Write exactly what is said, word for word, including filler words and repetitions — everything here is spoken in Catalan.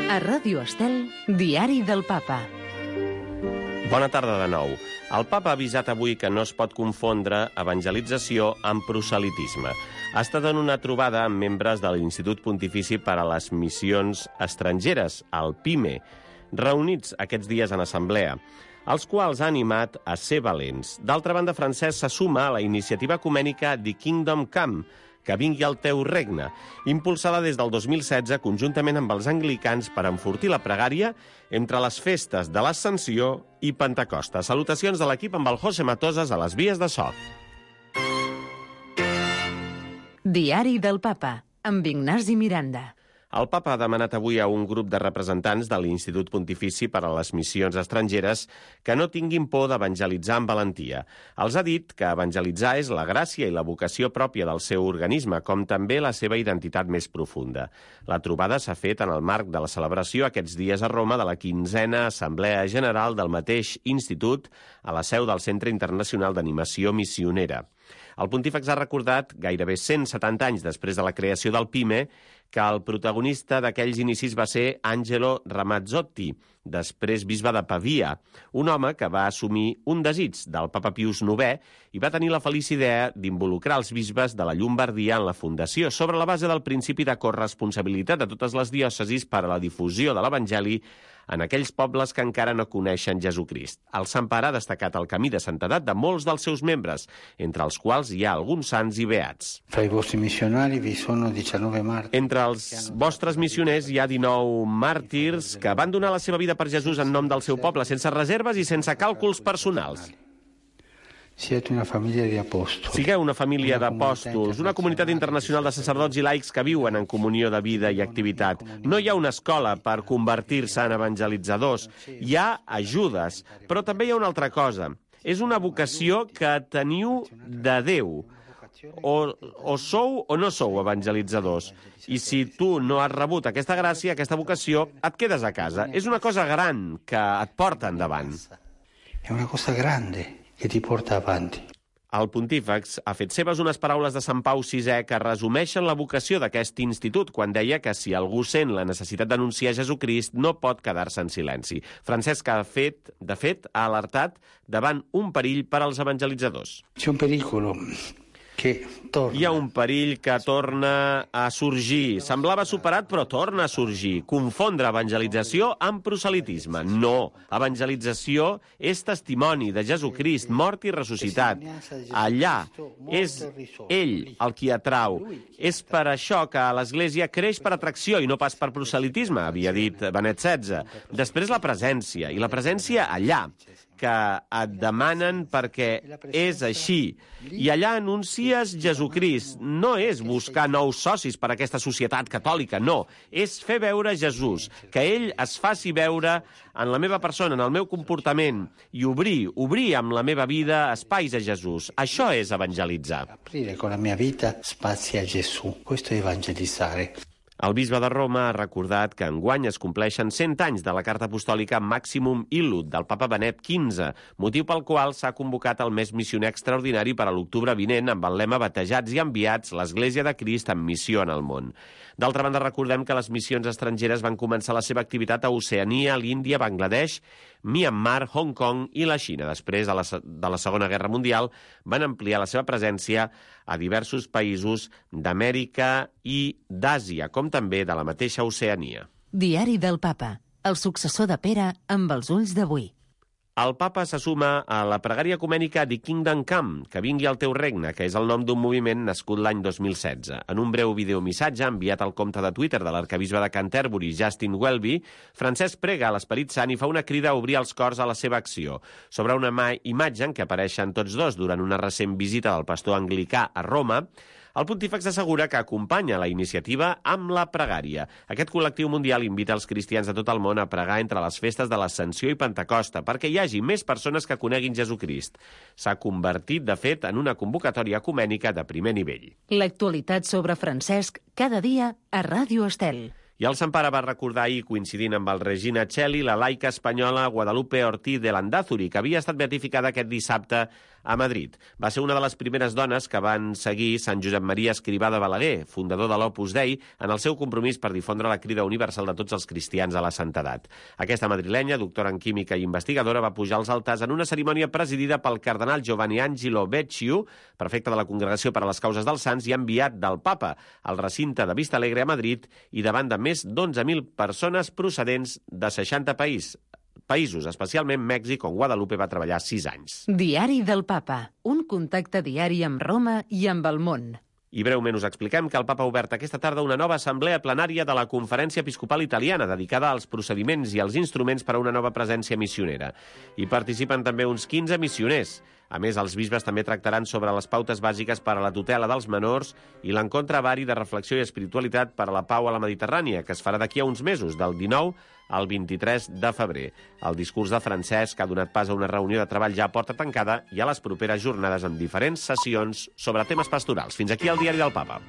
A Ràdio Estel, Diari del Papa. Bona tarda de nou. El papa ha avisat avui que no es pot confondre evangelització amb proselitisme. Ha estat en una trobada amb membres de l'Institut Pontifici per a les Missions Estrangeres, el PIME, reunits aquests dies en assemblea, els quals ha animat a ser valents. D'altra banda, Francesc se suma a la iniciativa ecumènica The Kingdom Come, que vingui el teu regne, impulsada des del dos mil setze conjuntament amb els anglicans per enfortir la pregària entre les festes de l'Ascensió i Pentecosta. Salutacions de l'equip amb el José Matosas a les vies de so. Diari del Papa, amb Ignasi Miranda. El papa ha demanat avui a un grup de representants de l'Institut Pontifici per a les Missions Estrangeres que no tinguin por d'evangelitzar amb valentia. Els ha dit que evangelitzar és la gràcia i la vocació pròpia del seu organisme, com també la seva identitat més profunda. La trobada s'ha fet en el marc de la celebració aquests dies a Roma de la quinzena Assemblea General del mateix institut a la seu del Centre Internacional d'Animació Missionera. El pontífex ha recordat, gairebé cent setanta anys després de la creació del PIME, que el protagonista d'aquells inicis va ser Angelo Ramazzotti, després bisbe de Pavia, un home que va assumir un desig del papa Pius novè i va tenir la feliç idea d'involucrar els bisbes de la Llombardia en la fundació, sobre la base del principi de corresponsabilitat de totes les diòcesis per a la difusió de l'Evangeli en aquells pobles que encara no coneixen Jesucrist. El Sant Pare ha destacat el camí de santedat de molts dels seus membres, entre els quals hi ha alguns sants i beats. Fra i vostri missionari vi sono diciannove martiri. Entre els vostres missioners hi ha dinou màrtirs que van donar la seva vida per Jesús en nom del seu poble, sense reserves i sense càlculs personals. Siete una família di apostoli. Sigueu una família d'apòstols, una comunitat internacional de sacerdots i laics que viuen en comunió de vida i activitat. No hi ha una escola per convertir-se en evangelitzadors. Hi ha ajudes, però també hi ha una altra cosa. És una vocació que teniu de Déu. O, o sou o no sou evangelitzadors. I si tu no has rebut aquesta gràcia, aquesta vocació, et quedes a casa. És una cosa gran que et porta endavant. È una cosa grande que ti porta avanti. El pontífex ha fet seves unes paraules de Sant Pau sisè que resumeixen la vocació d'aquest institut quan deia que si algú sent la necessitat d'anunciar Jesucrist no pot quedar-se en silenci. Francesc ha fet, de fet, ha alertat davant un perill per als evangelitzadors. C'è un pericolo que torna. Hi ha un perill que torna a sorgir. Semblava superat, però torna a sorgir. Confondre evangelització amb proselitisme. No. Evangelització és testimoni de Jesucrist, mort i ressuscitat. Allà és ell el qui atrau. És per això que l'Església creix per atracció i no pas per proselitisme, havia dit Benet setze. Després la presència, i la presència allà, que et demanen perquè és així. I allà anuncies Jesucrist. No és buscar nous socis per a aquesta societat catòlica, no. És fer veure Jesús, que ell es faci veure en la meva persona, en el meu comportament, i obrir, obrir amb la meva vida espais a Jesús. Això és evangelitzar. Aprire con la mia vita spazi a Gesù. Questo è evangelizzare. El bisbe de Roma ha recordat que enguany es compleixen cent anys de la carta apostòlica Maximum Illud del papa Benet quinze, motiu pel qual s'ha convocat el mes missioner extraordinari per a l'octubre vinent amb el lema Batejats i enviats, l'Església de Crist en missió en el món. D'altra banda, recordem que les missions estrangeres van començar la seva activitat a Oceania, l'Índia, Bangladesh, Myanmar, Hong Kong i la Xina. Després de la, de la Segona Guerra Mundial van ampliar la seva presència a diversos països d'Amèrica i d'Àsia, com també de la mateixa Oceania. Diari del Papa, el successor de Pere amb els ulls d'avui. El papa se suma a la pregària ecumènica The Kingdom Come, que vingui el teu regne, que és el nom d'un moviment nascut l'any dos mil setze. En un breu videomissatge enviat al compte de Twitter de l'arquebisbe de Canterbury, Justin Welby, Francesc prega a l'Esperit Sant i fa una crida a obrir els cors a la seva acció. Sobre una imatge en què apareixen tots dos durant una recent visita del pastor anglicà a Roma, el pontífex assegura que acompanya la iniciativa amb la pregària. Aquest col·lectiu mundial invita els cristians de tot el món a pregar entre les festes de l'Ascensió i Pentecosta perquè hi hagi més persones que coneguin Jesucrist. S'ha convertit, de fet, en una convocatòria ecumènica de primer nivell. L'actualitat sobre Francesc cada dia a Ràdio Estel. I el Sant Pare va recordar ahir, coincidint amb el Regina Celli, la laica espanyola Guadalupe Ortiz de Landázuri, que havia estat beatificada aquest dissabte a Madrid. Va ser una de les primeres dones que van seguir Sant Josep Maria Escrivà de Balaguer, fundador de l'Opus Dei, en el seu compromís per difondre la crida universal de tots els cristians a la santedat. Aquesta madrilenya, doctora en química i investigadora, va pujar als altars en una cerimònia presidida pel cardenal Giovanni Angelo Becciu, prefecte de la Congregació per a les Causes dels Sants i enviat del Papa al recinte de Vista Alegre a Madrid i davant de més d'onze mil persones procedents de seixanta països. països, especialment Mèxic, on Guadalupe va treballar sis anys. Diari del Papa, un contacte diari amb Roma i amb el món. I breument us expliquem que el Papa ha obert aquesta tarda una nova assemblea plenària de la Conferència Episcopal Italiana, dedicada als procediments i als instruments per a una nova presència missionera. Hi participen també uns quinze missioners. A més, els bisbes també tractaran sobre les pautes bàsiques per a la tutela dels menors i l'encontre vari de reflexió i espiritualitat per a la pau a la Mediterrània, que es farà d'aquí a uns mesos, del dinou al vint-i-tres de febrer. El discurs de Francesc ha donat pas a una reunió de treball ja a porta tancada i a les properes jornades amb diferents sessions sobre temes pastorals. Fins aquí el Diari del Papa.